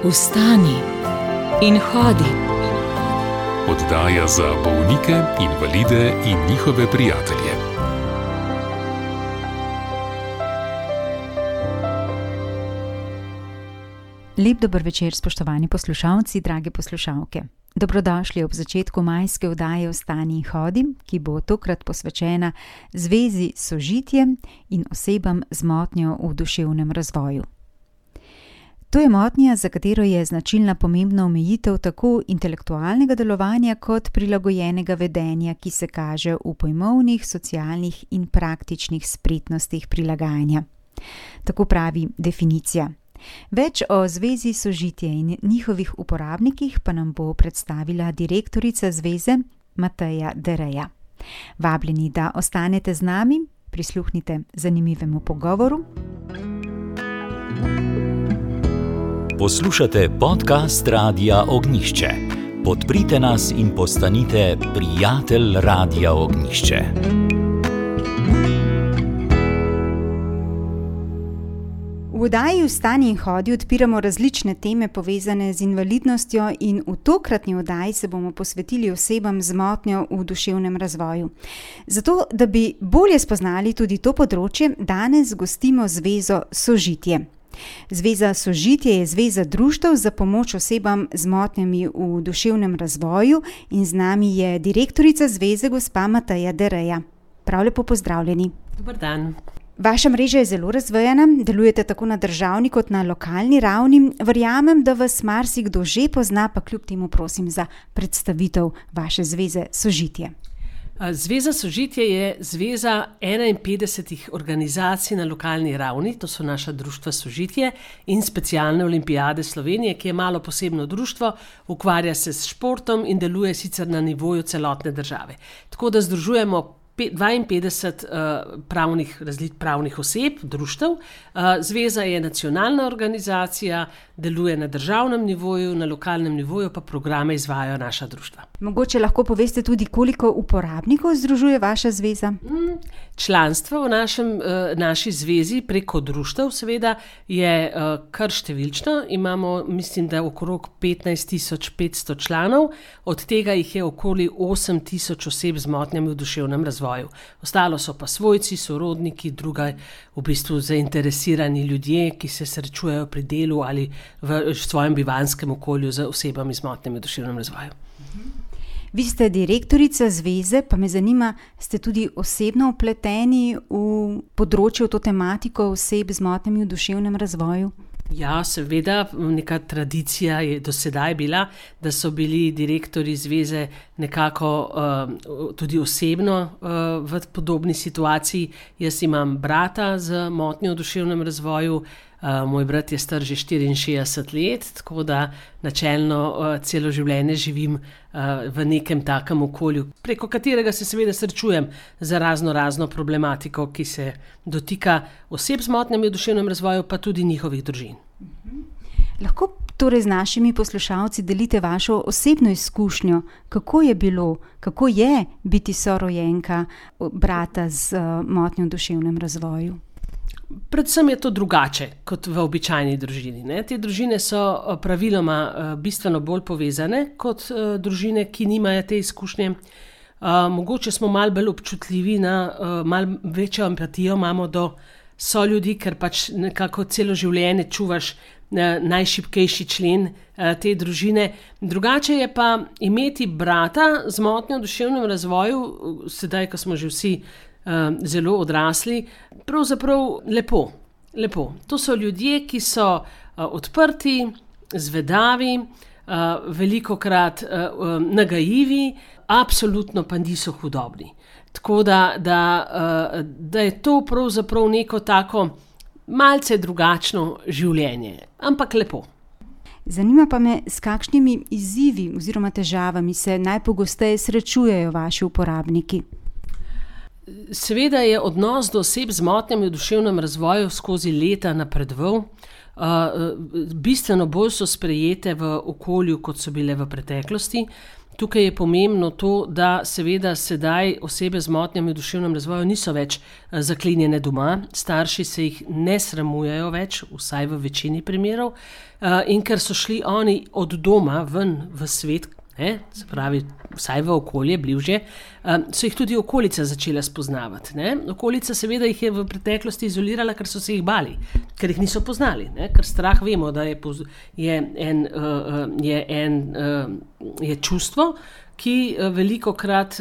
Vstani in hodi. Oddaja za bolnike, invalide in njihove prijatelje. Lep dober večer, spoštovani poslušalci, drage poslušalke. Dobrodošli ob začetku majske oddaje Vstani in hodi, ki bo tokrat posvečena zvezi Sožitje in osebam z motnjo v duševnem razvoju. To je motnja, za katero je značilna pomembna omejitev tako intelektualnega delovanja kot prilagojenega vedenja, ki se kaže v pojmovnih, socialnih in praktičnih spretnostih prilagajanja. Tako pravi definicija. Več o zvezi Sožitje in njihovih uporabnikih pa nam bo predstavila direktorica zveze Mateja Dereja. Vabljeni, da ostanete z nami, prisluhnite zanimivemu pogovoru. Poslušate podcast Radia Ognjišče. Podprite nas in postanite prijatelj Radia Ognjišče. V oddaji Vstani in hodi odpiramo različne teme povezane z invalidnostjo in v tokratni oddaji se bomo posvetili osebam z motnjo v duševnem razvoju. Zato, da bi bolje spoznali tudi to področje, danes gostimo zvezo Sožitje. Zveza Sožitje je zveza društev za pomoč osebam z motnjami v duševnem razvoju in z nami je direktorica zveze gospa Mateja Dereja. Prav lepo pozdravljeni. Dober dan. Vaša mreža je zelo razvejana, delujete tako na državni kot na lokalni ravni. Verjamem, da vas marsikdo že pozna, pa kljub temu prosim za predstavitev vaše zveze Sožitje. Zveza Sožitje je zveza 51 organizacij na lokalni ravni, to so naša društva Sožitje in Specialne olimpijade Slovenije, ki je malo posebno društvo, ukvarja se s športom in deluje sicer na nivoju celotne države. Tako da združujemo 52 pravnih oseb, društev. Zveza je nacionalna organizacija, deluje na državnem nivoju, na lokalnem nivoju pa programe izvajajo naša društva. Mogoče lahko poveste tudi, koliko uporabnikov združuje vaša zveza? Članstvo v naši zvezi preko društev seveda je kar številčno. Imamo, mislim, da okrog 15.500 članov, od tega jih je okoli 8.000 oseb z motnjami v duševnem razvoju. Ostalo so pa svojci, sorodniki, druga v bistvu zainteresirani ljudje, ki se srečujejo pri delu ali v svojem bivanskem okolju z osebami z motnjami v duševnem razvoju. Vi ste direktorica zveze, pa me zanima, ste tudi osebno vpleteni v področje, v to tematiko oseb z motnjami v duševnem razvoju? Ja, seveda, neka tradicija je do sedaj bila, da so bili direktorji zveze nekako tudi osebno v podobni situaciji. Jaz imam brata z motnjo v duševnem razvoju, moj brat je star že 64 let, tako da načelno celo življenje živim v nekem takem okolju, preko katerega se seveda srečujem za razno problematiko, ki se dotika oseb z motnjami v duševnem razvoju, pa tudi njihovih družin. Lahko torej z našimi poslušalci delite vašo osebno izkušnjo, kako je bilo, kako je biti sorojenka brata z motnjo v duševnem razvoju? Predvsem je to drugače kot v običajni družini, ne? Te družine so praviloma bistveno bolj povezane kot družine, ki nimajo te izkušnje. Mogoče smo malo bolj občutljivi, malo večjo empatijo imamo do soljudi, ker pač nekako celo življenje čuvaš najšibkejši člen te družine. Drugače je pa imeti brata z motnjo v duševnem razvoju, sedaj, ko smo že vsi zelo odrasli, pravzaprav lepo. To so ljudje, ki so odprti, zvedavi, velikokrat nagajivi, absolutno pa niso hudobni. Tako da je to pravzaprav neko tako malce drugačno življenje, ampak lepo. Zanima pa me, s kakšnimi izzivi oziroma težavami se najpogosteje srečujejo vaši uporabniki? Seveda je odnos do oseb z motnjami v duševnem razvoju skozi leta napredoval. Bistveno bolj so sprejete v okolju, kot so bile v preteklosti. Tukaj je pomembno to, da seveda sedaj osebe z motnjami v duševnem razvoju niso več zaklenjene doma, starši se jih ne sramujejo več, vsaj v večini primerov, in ker so šli oni od doma ven v svet, se pravi, vsaj v okolje, bližje, so jih tudi okolica začela spoznavati. Okolica seveda jih je v preteklosti izolirala, ker so se jih bali, ker jih niso poznali, ker strah vemo, da je čustvo, ki velikokrat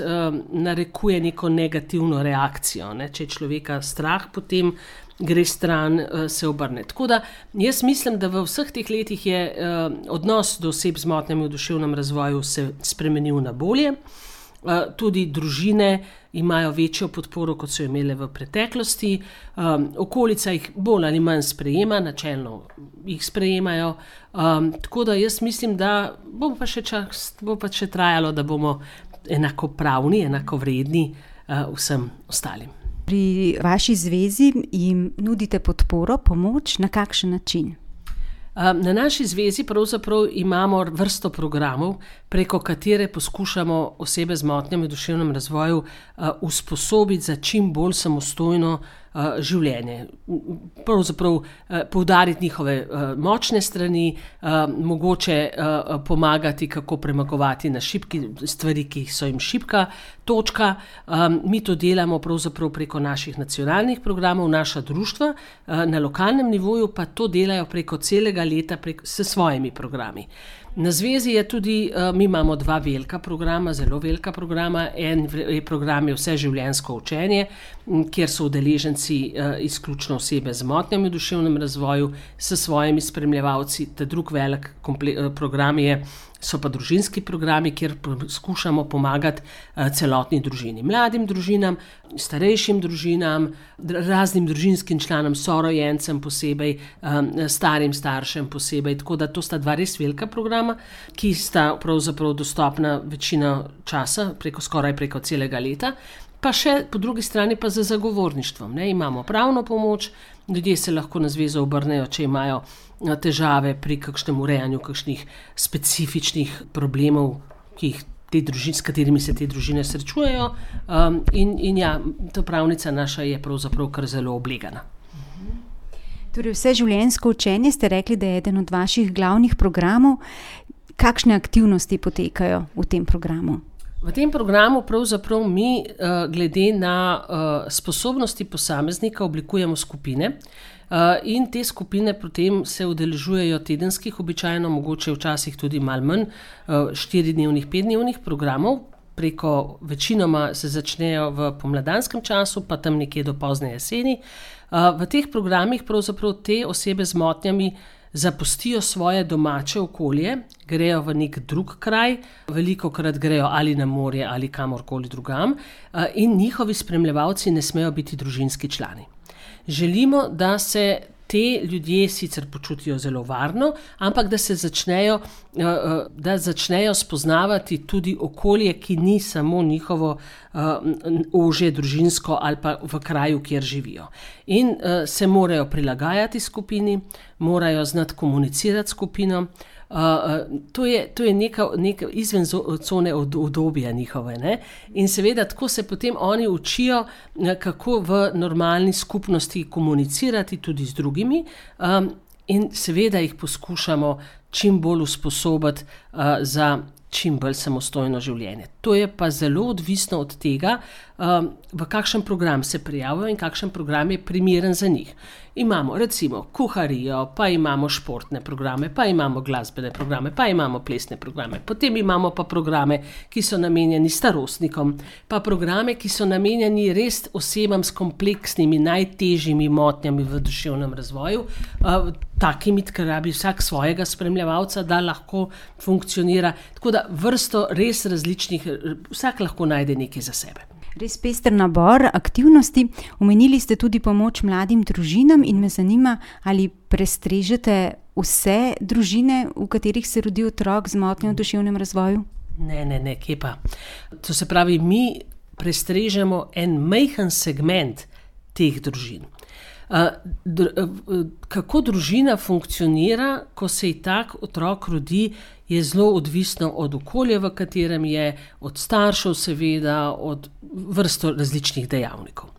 narekuje neko negativno reakcijo. Če je človeka strah, potem gre stran, se obrne. Tako da jaz mislim, da v vseh teh letih je odnos do oseb z motnjami v duševnem razvoju se spremenil na bolje. Tudi družine imajo večjo podporo, kot so imele v preteklosti. Okolica jih bolj ali manj sprejema, načelno jih sprejemajo. Tako da jaz mislim, da bo pa še trajalo, da bomo enakopravni, enakovredni vsem ostalim. Pri vaši zvezi jim nudite podporo, pomoč, na kakšen način? Na naši zvezi pravzaprav imamo vrsto programov, preko katere poskušamo osebe z motnjami v duševnem razvoju usposobiti za čim bolj samostojno življenje. Pravzaprav poudariti njihove močne strani, mogoče pomagati, kako premagovati na šibki stvari, ki so jim šibka točka. Mi to delamo pravzaprav preko naših nacionalnih programov, naša društva, na lokalnem nivoju pa to delajo preko celega leta s svojimi programi. Na zvezi je tudi, mi imamo 2 velika programa, zelo velika programa. En program je vseživljenjsko učenje, kjer so udeleženci izključno osebe z motnjami v duševnem razvoju s svojimi spremljevalci. Ta drug velik program so pa družinski programi, kjer skušamo pomagati celotni družini. Mladim družinam, starejšim družinam, raznim družinskim članom, sorojencem posebej, starim staršem posebej. Tako da to sta 2 res velika programa, ki sta pravzaprav dostopna večino časa, skoraj preko celega leta. Pa še po drugi strani pa za zagovorništvom. Imamo pravno pomoč, ljudje se lahko na zvezo obrnejo, če imajo težave pri kakšnem urejanju kakšnih specifičnih problemov, s katerimi se te družine srečujejo. In ta pravnica naša je pravzaprav kar zelo oblegana. Torej, vseživljenjsko učenje ste rekli, da je eden od vaših glavnih programov. Kakšne aktivnosti potekajo v tem programu? V tem programu pravzaprav mi glede na sposobnosti posameznika oblikujemo skupine in te skupine potem se udeležujejo tedenskih, običajno mogoče včasih tudi malo manj, 4-dnevnih, 5-dnevnih programov. Večinoma se začnejo v pomladanskem času, pa tam nekje do pozne jeseni. V teh programih pravzaprav te osebe z motnjami zapustijo svoje domače okolje, grejo v nek drug kraj, velikokrat grejo ali na morje ali kamorkoli drugam, in njihovi spremljevalci ne smejo biti družinski člani. Želimo, da se te ljudje sicer počutijo zelo varno, ampak da začnejo spoznavati tudi okolje, ki ni samo njihovo ožje družinsko ali pa v kraju, kjer živijo. In se morajo prilagajati skupini, morajo znati komunicirati skupino. To je neka izven cone udobja njihove. In seveda tako se potem oni učijo, kako v normalni skupnosti komunicirati tudi z drugimi, in seveda jih poskušamo čim bolj usposobiti za čim bolj samostojno življenje. To je pa zelo odvisno od tega, v kakšen program se prijavijo in kakšen program je primeren za njih. Imamo recimo kuharijo, pa imamo športne programe, pa imamo glasbene programe, pa imamo plesne programe. Potem imamo pa programe, ki so namenjeni starostnikom, pa programe, ki so namenjeni res osebam s kompleksnimi, najtežjimi motnjami v duševnem razvoju, takimi, ker rabi vsak svojega spremljevalca, da lahko funkcionira. Tako da vrsto res različnih, vsak lahko najde nekaj za sebe. Res pester nabor aktivnosti. Omenili ste tudi pomoč mladim družinam in me zanima, ali prestrežete vse družine, v katerih se rodi otrok z motnjo v duševnem razvoju? Ne, kje pa. To se pravi, mi prestrežemo en majhen segment teh družin. Kako družina funkcionira, ko se ji tak otrok rodi, je zelo odvisno od okolja, v katerem je, od staršev seveda, od vrsto različnih dejavnikov.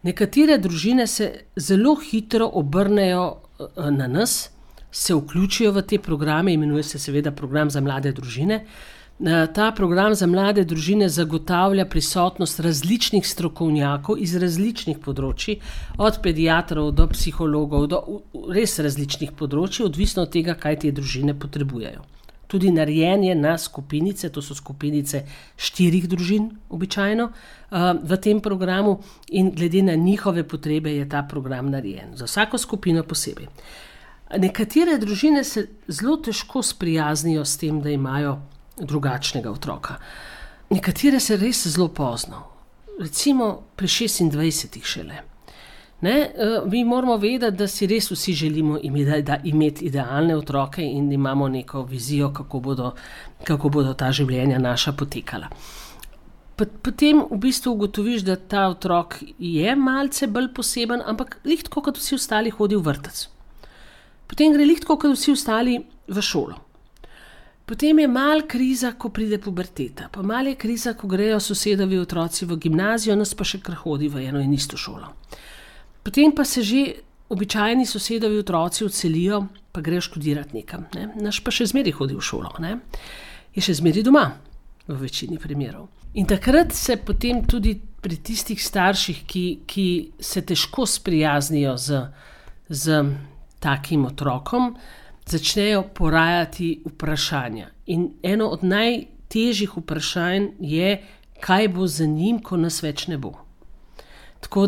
Nekatere družine se zelo hitro obrnejo na nas, se vključijo v te programe, imenuje se seveda program za mlade družine. Ta program za mlade družine zagotavlja prisotnost različnih strokovnjakov iz različnih področji, od pediatrov do psihologov, do res različnih področji, odvisno od tega, kaj te družine potrebujejo. Tudi narejen je na skupinice, to so skupinice 4 družin običajno v tem programu in glede na njihove potrebe je ta program narejen. Za vsako skupino posebej. Nekatere družine se zelo težko sprijaznijo s tem, da imajo drugačnega otroka. Nekatere se res zelo pozno, recimo pri 26 šele. Mi moramo vedeti, da si res vsi želimo imeti idealne otroke in imamo neko vizijo, kako bodo ta življenja naša potekala. Potem v bistvu ugotoviš, da ta otrok je malce bolj poseben, ampak lih tako, kot vsi ostali hodi v vrtec. Potem gre lih tako, kot vsi ostali v šolo. Potem je mal kriza, ko pride puberteta, pa mal je kriza, ko grejo sosedovi otroci v gimnazijo, nas pa še kar hodi v eno in isto šolo. Potem pa se že običajni sosedovi otroci odselijo, pa grejo študirati nekam. Naš pa še zmeraj hodi v šolo. Je še zmeraj doma, v večini primerov. In takrat se potem tudi pri tistih starših, ki se težko sprijaznijo z takim otrokom, začnejo porajati vprašanja. In eno od najtežjih vprašanj je, kaj bo z njim, ko nas več ne bo. Tako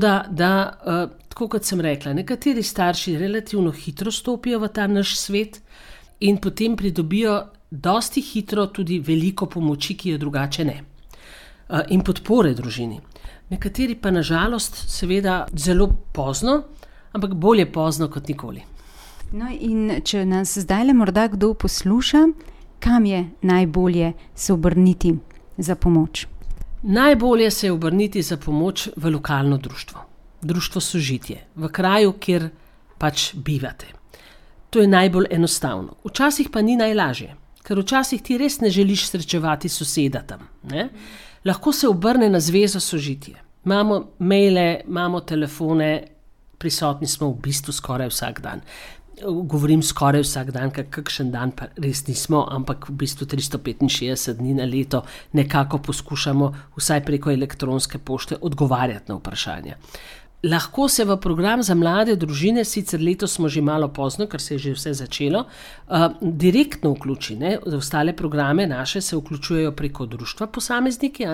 tako kot sem rekla, nekateri starši relativno hitro stopijo v ta naš svet in potem pridobijo dosti hitro tudi veliko pomoči, ki jo drugače ne. In podpore družini. Nekateri pa nažalost seveda zelo pozno, ampak bolje pozno kot nikoli. No in če nas zdajle morda kdo posluša, kam je najbolje se obrniti za pomoč? Najbolje se je obrniti za pomoč v lokalno društvo. Društvo Sožitje, v kraju, kjer pač bivate. To je najbolj enostavno. Včasih pa ni najlažje, ker včasih ti res ne želiš srečevati soseda tam. Lahko se obrne na Zvezo Sožitje. Imamo maile, imamo telefone, prisotni smo v bistvu skoraj vsak dan. Govorim skoraj vsak dan, kakšen dan pa res nismo, ampak v bistvu 365 dni na leto nekako poskušamo vsaj preko elektronske pošte odgovarjati na vprašanja. Lahko se v program za mlade družine, sicer letos smo že malo pozno, ker se je že vse začelo, direktno vključi. V ostale programe naše se vključujejo preko društva posamezniki,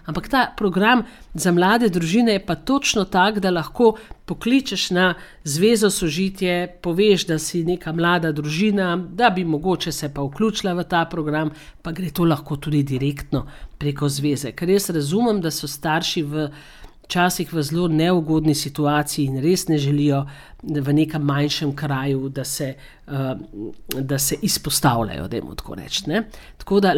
ampak ta program za mlade družine je pa točno tak, da lahko pokličeš na Zvezo Sožitje, poveš, da si neka mlada družina, da bi mogoče se pa vključila v ta program, pa gre to lahko tudi direktno preko zveze. Ker jaz razumem, da so starši včasih v zelo neugodni situaciji in res ne želijo v nekem manjšem kraju, da se izpostavljajo, dajmo tako reči. Tako da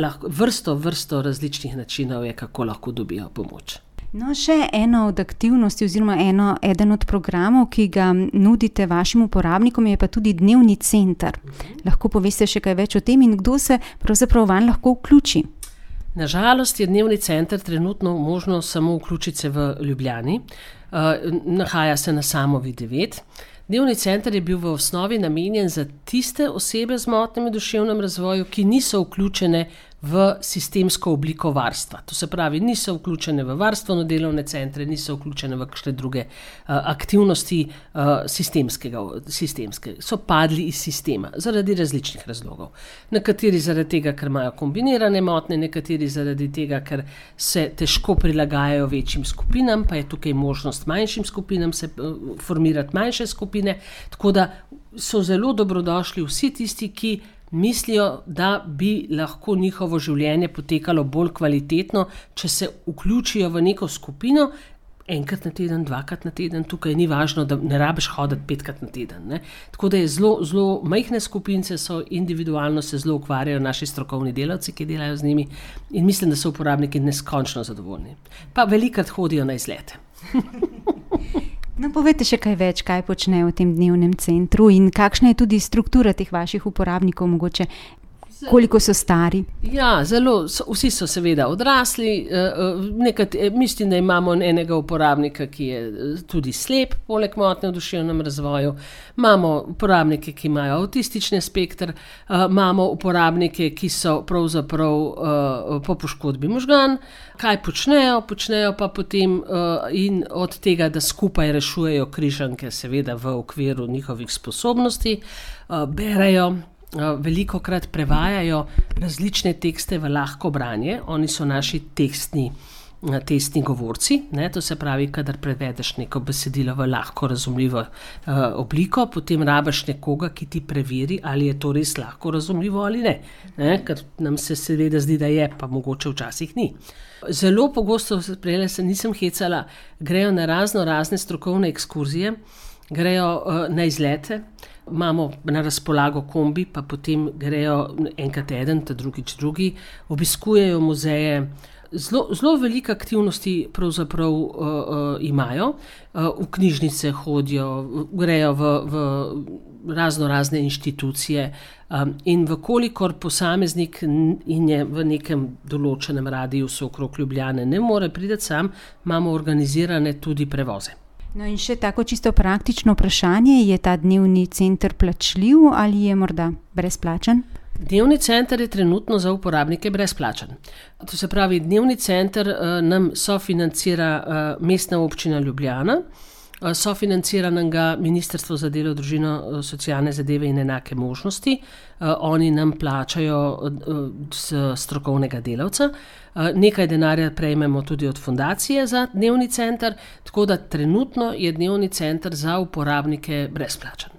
vrsto različnih načinov je, kako lahko dobijo pomoč. No, še ena od aktivnosti oziroma eden od programov, ki ga nudite vašim uporabnikom, je pa tudi dnevni center. Lahko poveste še kaj več o tem in kdo se pravzaprav vanj lahko vključi? Nažalost je dnevni center trenutno možno samo vključiti se v Ljubljani. Nahaja se na Samovi 9. Dnevni center je bil v osnovi namenjen za tiste osebe z motnjami v duševnem razvoju, ki niso vključene v sistemsko obliko varstva. To se pravi, niso vključene v varstveno-delovne centre, niso vključene v kakšne druge aktivnosti sistemske. So padli iz sistema zaradi različnih razlogov. Nekateri zaradi tega, ker imajo kombinirane motnje, nekateri zaradi tega, ker se težko prilagajajo večjim skupinam, pa je tukaj možnost manjšim skupinam se formirati manjše skupine, tako da so zelo dobrodošli vsi tisti, ki mislijo, da bi lahko njihovo življenje potekalo bolj kvalitetno, če se vključijo v neko skupino, enkrat na teden, dvakrat na teden, tukaj ni važno, da ne rabiš hoditi 5-krat na teden. Tako da je zelo majhne skupince, so individualno se zelo ukvarjajo naši strokovni delavci, ki delajo z njimi in mislim, da so uporabniki neskončno zadovoljni. Pa velikrat hodijo na izlete. No, povejte še kaj več, kaj počnejo v tem dnevnem centru in kakšna je tudi struktura teh vaših uporabnikov, mogoče koliko so stari? Ja, vsi so seveda odrasli. Mislim, da imamo enega uporabnika, ki je tudi slep, poleg motnje v duševnem razvoju. Imamo uporabnike, ki imajo avtistični spekter, imamo uporabnike, ki so pravzaprav po poškodbi možgan. Kaj počnejo? Počnejo pa potem in od tega, da skupaj rešujejo križanke, seveda v okviru njihovih sposobnosti, berejo, velikokrat prevajajo različne tekste v lahko branje. Oni so naši testni govorci, ne? To se pravi, kadar prevedeš neko besedilo v lahko razumljivo obliko, potem rabiš nekoga, ki ti preveri, ali je to res lahko razumljivo ali ne? Ker nam se seveda zdi, da je, pa mogoče včasih ni. Zelo pogosto, prejle se nisem hecala, grejo na razne strokovne ekskurzije, grejo na izlete, imamo na razpolago kombi, pa potem grejo enkrat eden, ta drugič drugi, obiskujejo muzeje. Zelo velike aktivnosti pravzaprav imajo, v knjižnice hodijo, grejo v razne inštitucije in vkolikor posameznik in je v nekem določenem radiusu okrog Ljubljane ne more priti sam, imamo organizirane tudi prevoze. No in še tako čisto praktično vprašanje, je ta dnevni center plačljiv ali je morda brezplačen? Dnevni center je trenutno za uporabnike brezplačen. To se pravi, dnevni center nam sofinancira Mestna občina Ljubljana, sofinancira nam ga Ministrstvo za delo, družino, socialne zadeve in enake možnosti. Oni nam plačajo strokovnega delavca. Nekaj denarja prejmemo tudi od fundacije za dnevni center, tako da trenutno je dnevni center za uporabnike brezplačen.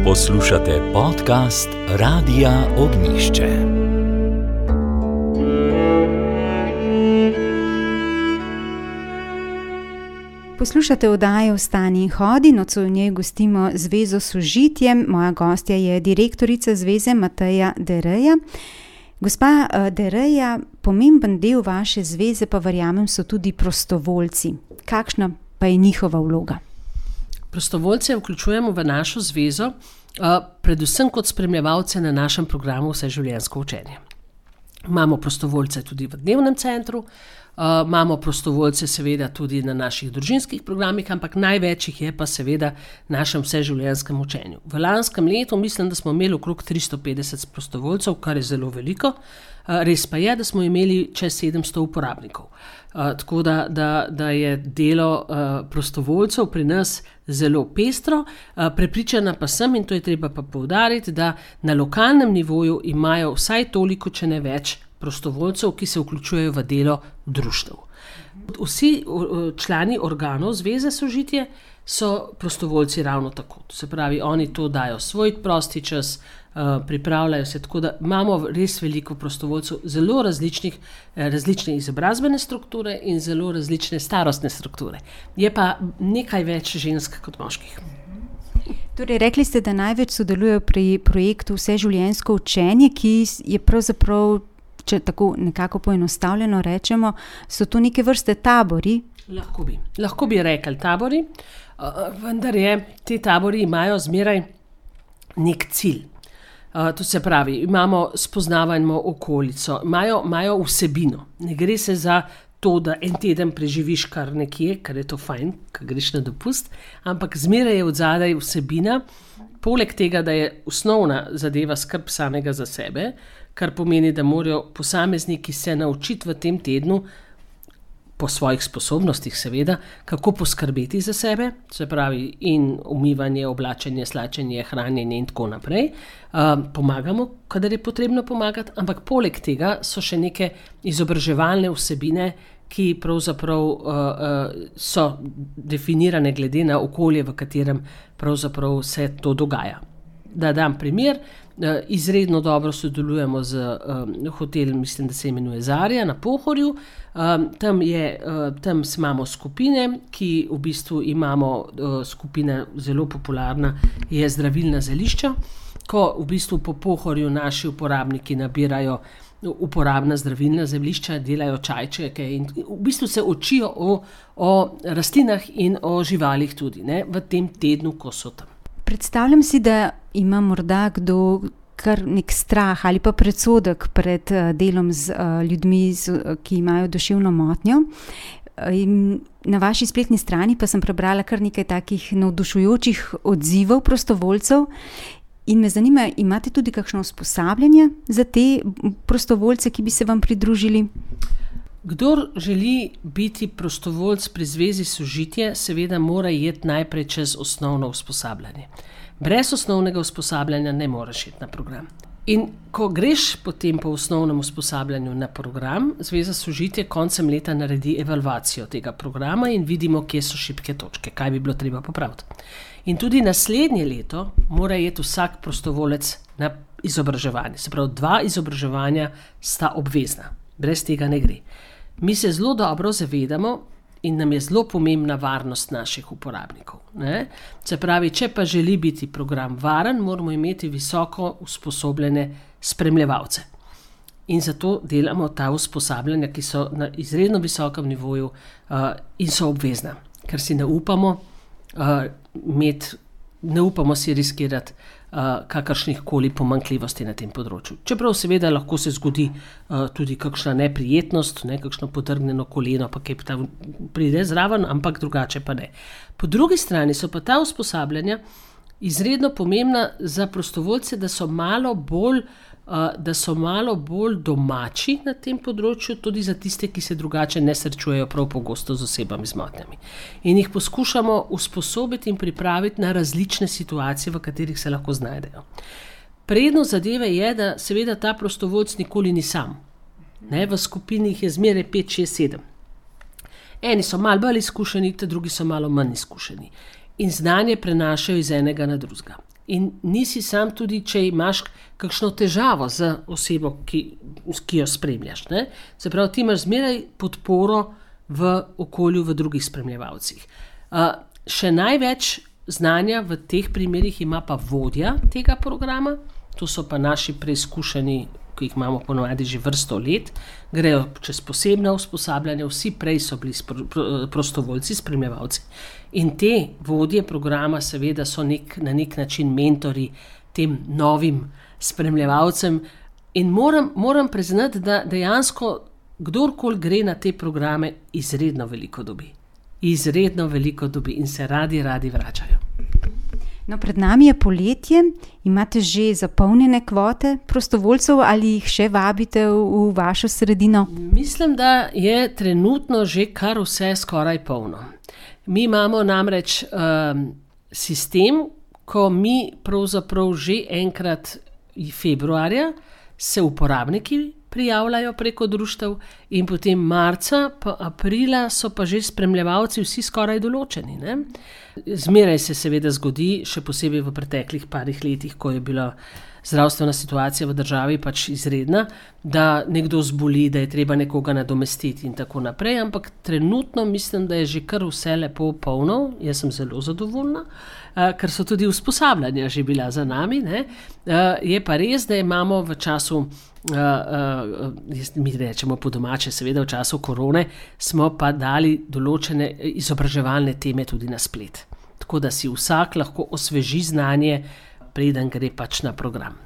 Poslušate podcast Radia Ognjišče. Poslušate oddajo Vstani in hodi, nocoj v njej gostimo Zvezo Sožitje. Moja gostja je direktorica zveze Mateja Dereja. Gospa Dereja, pomemben del vaše zveze, pa verjamem, so tudi prostovoljci. Kakšna pa je njihova vloga? Prostovoljce vključujemo v našo zvezo, predvsem kot spremljevalce na našem programu Vseživljenjsko učenje. Imamo prostovoljce tudi v dnevnem centru, imamo prostovoljce seveda tudi na naših družinskih programih, ampak največ jih je pa seveda v našem vseživljenjskem učenju. V lanskem letu mislim, da smo imeli okrog 350 prostovoljcev, kar je zelo veliko. Res pa je, da smo imeli čez 700 uporabnikov. Tako da je delo prostovoljcev pri nas zelo pestro. Prepričana pa sem, in to je treba pa poudariti, da na lokalnem nivoju imajo vsaj toliko, če ne več, prostovoljcev, ki se vključujejo v delo društev. Vsi člani organov Zveze Sožitje so prostovoljci ravno tako. To se pravi, oni to dajo svoj prosti čas, pripravljajo se, tako da imamo res veliko prostovoljcev, zelo različne izobrazbene strukture in zelo različne starostne strukture. Je pa nekaj več žensk kot moških. Torej, rekli ste, da največ sodelujejo pri projektu Vseživljenjsko učenje, ki je pravzaprav, če tako nekako poenostavljeno rečemo, so to neke vrste tabori? Lahko bi rekli tabori, vendar ti tabori imajo zmeraj nek cilj. To se pravi, spoznavamo okolico, imajo vsebino. Ne gre se za to, da en teden preživiš kar nekje, ker je to fajn, ker greš na dopust, ampak zmeraj je odzadaj vsebina, poleg tega, da je osnovna zadeva skrb samega za sebe, kar pomeni, da morajo posamezniki se naučiti v tem tednu, po svojih sposobnostih seveda, kako poskrbeti za sebe, se pravi in umivanje, oblačenje, slačenje, hranjenje in tako naprej. Pomagamo, kadar je potrebno pomagati, ampak poleg tega so še neke izobraževalne vsebine, ki pravzaprav so definirane glede na okolje, v katerem pravzaprav se to dogaja. Da dam primer, izredno dobro sodelujemo z hotelom, mislim, da se imenuje Zarja na Pohorju. Tam imamo skupine, ki v bistvu imamo skupina zelo popularna, je zdravilna zelišča, ko v bistvu po Pohorju naši uporabniki nabirajo uporabna zdravilna zemljišča, delajo čajčeke in v bistvu se učijo o rastlinah in o živalih tudi, ne, v tem tednu, ko so tam. Predstavljam si, da ima morda kdo kar nek strah ali pa predsodek pred delom z ljudmi, ki imajo duševno motnjo. In na vaši spletni strani pa sem prebrala kar nekaj takih navdušujočih odzivov prostovoljcev. In me zanima, imate tudi kakšno usposabljanje za te prostovoljce, ki bi se vam pridružili? Kdor želi biti prostovoljc pri Zvezi Sožitje, seveda mora iti najprej čez osnovno usposabljanje. Brez osnovnega usposabljanja ne moreš iti na program. In ko greš potem po osnovnem usposabljanju na program, Zveza Sožitje koncem leta naredi evalvacijo tega programa in vidimo, kje so šibke točke, kaj bi bilo treba popraviti. In tudi naslednje leto mora iti vsak prostovolec na izobraževanje. Se pravi, 2 izobraževanja sta obvezna. Brez tega ne gre. Mi se zelo dobro zavedamo in nam je zelo pomembna varnost naših uporabnikov, ne? Se pravi, če pa želi biti program varen, moramo imeti visoko usposobljene spremljevalce. In zato delamo ta usposabljanja, ki so na izredno visokem nivoju in so obvezna, ker si ne upamo ne upamo si riskirati kakršnih koli pomanjkljivosti na tem področju. Čeprav seveda lahko se zgodi tudi kakšna neprijetnost, kakšno potrgnjeno koleno, pa kaj pride zraven, ampak drugače pa ne. Po drugi strani so pa ta usposabljanja izredno pomembna za prostovoljce, da so malo bolj domači na tem področju, tudi za tiste, ki se drugače ne srečujejo prav pogosto z osebami z motnjami. In jih poskušamo usposobiti in pripraviti na različne situacije, v katerih se lahko znajdejo. Prednost zadeve je, da seveda ta prostovoljc nikoli ni sam. Ne, v skupini jih je zmeraj 5, 6, 7. Eni so malo bolj izkušeni, drugi so malo manj izkušeni. In znanje prenašajo iz enega na drugega. In nisi sam tudi, če imaš kakšno težavo z osebo, ki jo spremljaš. Ne? Se pravi, ti imaš zmeraj podporo v okolju, v drugih spremljevalcih. Še največ znanja v teh primerih ima pa vodja tega programa, to so pa naši preizkušeni, ki jih imamo ponovadi že vrsto let, grejo čez posebna usposabljanja, vsi prej so bili prostovoljci, spremljevalci. In te vodje programa seveda so na nek način mentori tem novim spremljevalcem in moram priznati, da dejansko kdorkoli gre na te programe, izredno veliko dobi. Izredno veliko dobi in se radi vračajo. No, pred nami je poletje, imate že zapolnjene kvote prostovoljcev ali jih še vabite v vašo sredino? Mislim, da je trenutno že kar vse skoraj polno. Mi imamo namreč sistem, ko mi pravzaprav že enkrat februarja se uporabniki prijavljajo preko društev in potem marca pa aprila so pa že spremljevalci vsi skoraj določeni. Ne? Zmeraj se seveda zgodi, še posebej v preteklih parih letih, ko je bila zdravstvena situacija v državi pač izredna, da nekdo zboli, da je treba nekoga nadomestiti in tako naprej, ampak trenutno mislim, da je že kar vse lepo polno, jaz sem zelo zadovoljna, ker so tudi usposabljanja že bila za nami, ne? Je pa res, da imamo v času, mi rečemo po domače, seveda v času korone, smo pa dali določene izobraževalne teme tudi na splet. Tako da si vsak lahko osveži znanje, preden gre pač na program.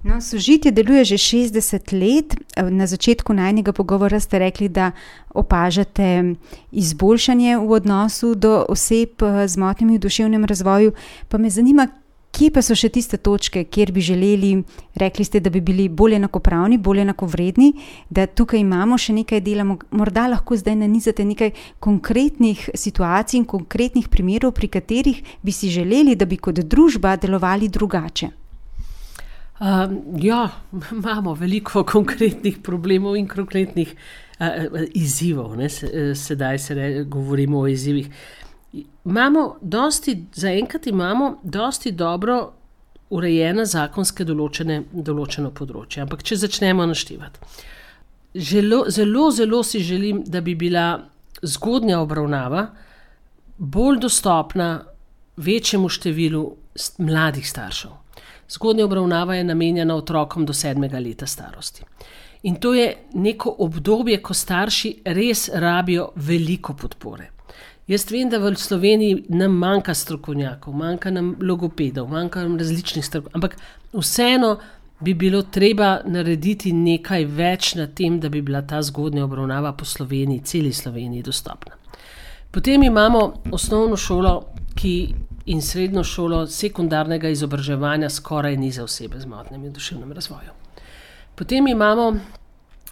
No, Sožitje deluje že 60 let. Na začetku najnega pogovora ste rekli, da opažate izboljšanje v odnosu do oseb z motnjami v duševnem razvoju. Pa me zanima, kje pa so še tiste točke, kjer bi želeli, rekli ste, da bi bili bolj enakopravni, bolj enakovredni, da tukaj imamo še nekaj dela, morda lahko zdaj nanizate nekaj konkretnih situacij in konkretnih primerov, pri katerih bi si želeli, da bi kot družba delovali drugače. Ja, imamo veliko konkretnih problemov in konkretnih izzivov. Ne? Sedaj govorimo o izzivih. Zaenkrat imamo dosti dobro urejena zakonske določeno področje. Ampak če začnemo naštevati. Zelo si želim, da bi bila zgodnja obravnava bolj dostopna večjemu številu mladih staršev. Zgodnja obravnava je namenjena otrokom do 7. leta starosti. In to je neko obdobje, ko starši res rabijo veliko podpore. Jaz vem, da v Sloveniji nam manjka strokovnjakov, manjka nam logopedov, manjka nam različnih strokovnjakov, ampak vseeno bi bilo treba narediti nekaj več na tem, da bi bila ta zgodnja obravnava po Sloveniji, celi Sloveniji dostopna. Potem imamo osnovno šolo in srednjo šolo sekundarnega izobraževanja skoraj ni za osebe z motnjami v duševnem razvoju. Potem imamo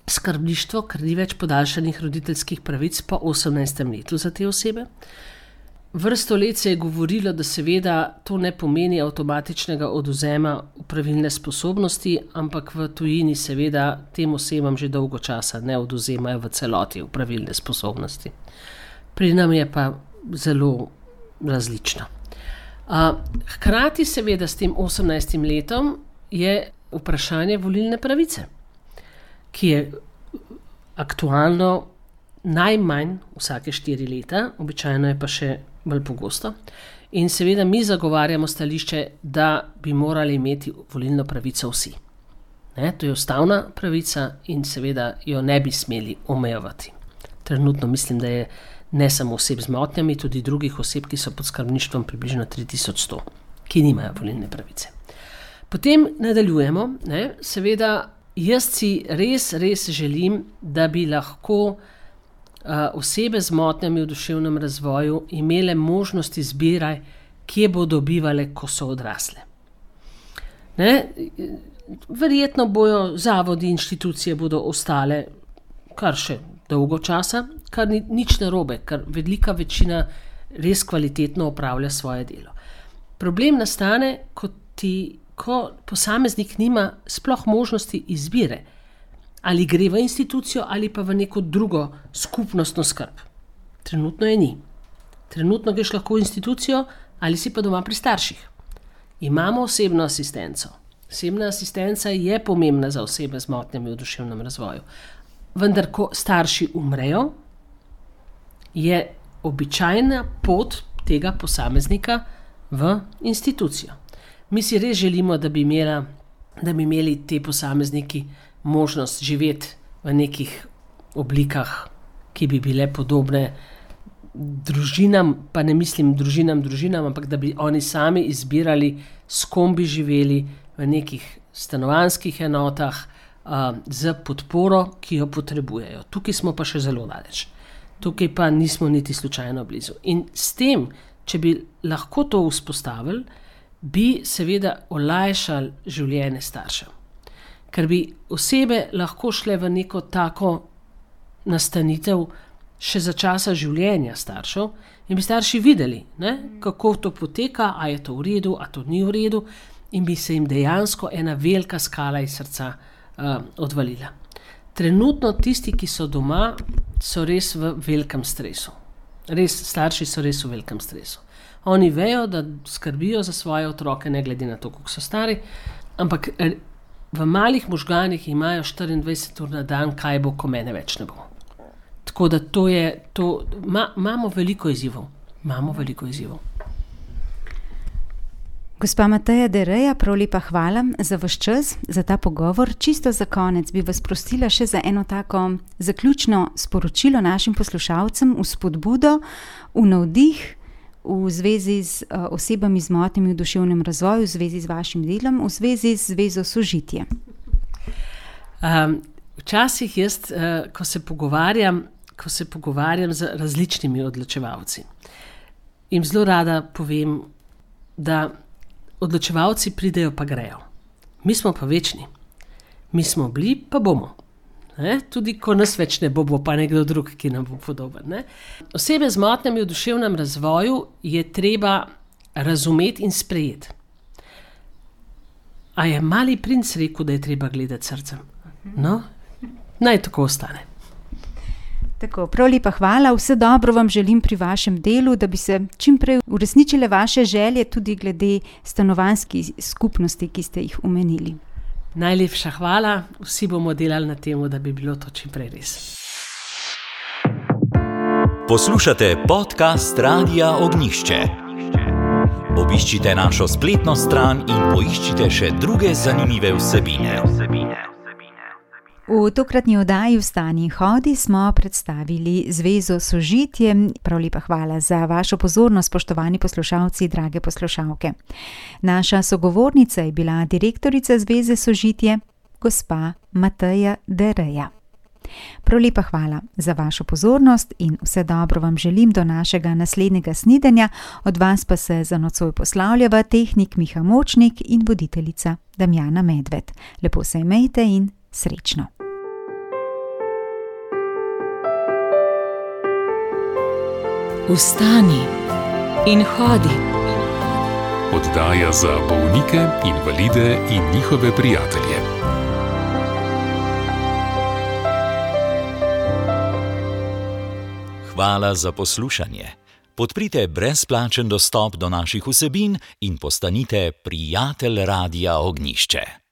skrbništvo, ker ni več podaljšanih roditeljskih pravic po 18. letu za te osebe. Vrsto let se je govorilo, da seveda to ne pomeni avtomatičnega odvzema opravilne sposobnosti, ampak v tujini seveda tem osebam že dolgo časa ne odvzemajo v celoti opravilne sposobnosti. Pri nam je pa zelo različno. Hkrati seveda s tem 18. letom je vprašanje volilne pravice, ki je aktualno najmanj vsake 4 leta, običajno je pa še bolj pogosto. In seveda mi zagovarjamo stališče, da bi morali imeti volilno pravico vsi. To je ustavna pravica in seveda jo ne bi smeli omejevati. Trenutno mislim, da je ne samo oseb z motnjami, tudi drugih oseb, ki so pod skrbništvom približno 3100, ki nimajo volilne pravice. Potem nadaljujemo, seveda jaz si res želim, da bi lahko osebe z motnjami v duševnem razvoju imele možnost izbire, kje bodo bivale, ko so odrasle. Verjetno bojo zavodi, inštitucije bodo ostale kar še dolgo časa, kar ni nič narobe, ker velika večina res kvalitetno opravlja svoje delo. Problem nastane, ko posameznik nima sploh možnosti izbire, ali gre v institucijo ali pa v neko drugo skupnostno skrb. Trenutno je ni. Trenutno greš lahko v institucijo ali si pa doma pri starših. Imamo osebno asistenco. Osebna asistenca je pomembna za osebe z motnjami v duševnem razvoju. Vendar, ko starši umrejo, je običajna pot tega posameznika v institucijo. Mi si res želimo, da bi imeli te posamezniki možnost živeti v nekih oblikah, ki bi bile podobne družinam, pa ne mislim družinam, ampak da bi oni sami izbirali, s kom bi živeli v nekih stanovanjskih enotah, z podporo, ki jo potrebujejo. Tukaj smo pa še zelo daleč. Tukaj pa nismo niti slučajno blizu. In s tem, če bi lahko to vzpostavili, bi seveda olajšali življenje staršev. Ker bi osebe lahko šle v neko tako nastanitev še za časa življenja staršev in bi starši videli, kako to poteka, a je to v redu, a to ni v redu, in bi se jim dejansko ena velika skala iz srca odvalila. Trenutno tisti, ki so doma, so res v velikem stresu. Starši so res v velikem stresu. Oni vejo, da skrbijo za svoje otroke, ne glede na to, koliko so stari, ampak v malih možganih imajo 24 ur na dan, kaj bo, ko mene več ne bo. Tako da imamo veliko izzivov. Gospa Mateja Dereja, prav lepa hvala za vaš čas, za ta pogovor. Čisto za konec bi vas prosila še za eno tako zaključno sporočilo našim poslušalcem, v spodbudo, v navdih, v zvezi z osebami z motnjami v duševnem razvoju, v zvezi z vašim delom, v zvezi z Zvezo Sožitje. Včasih jaz, ko se pogovarjam z različnimi odločevalci, jim zelo rada povem, da odločevalci pridejo pa grejo. Mi smo pa večni. Mi smo bili, pa bomo. Tudi ko nas več ne bo, bo pa nekdo drug, ki nam bo podoben. Osebe z motnjami v duševnem razvoju je treba razumeti in sprejeti. A je Mali princ rekel, da je treba gledati srcem? No, naj tako ostane. Tako, prav lepa hvala, vse dobro vam želim pri vašem delu, da bi se čim prej uresničile vaše želje tudi glede stanovanjskih skupnosti, ki ste jih omenili. Najlepša hvala, vsi bomo delali na tem, da bi bilo to čim prej res. Poslušate podcast Radia Ognjišče. Obiščite našo spletno stran in poiščite še druge zanimive vsebine. V tokratni oddaji Vstani in hodi smo predstavili Zvezo Sožitje. Prav lepa hvala za vašo pozornost, spoštovani poslušalci, drage poslušalke. Naša sogovornica je bila direktorica Zveze Sožitje, gospa Mateja Dereja. Prav lepa hvala za vašo pozornost in vse dobro vam želim do našega naslednjega snidenja. Od vas pa se za nocoj poslavljava tehnik Miha Močnik in voditeljica Damjana Medved. Lepo se imejte in srečno. Vstani in hodi. Oddaja za bolnike, invalide in njihove prijatelje. Hvala za poslušanje. Podprite brezplačen dostop do naših vsebin in postanite prijatelj Radia Ognjišče.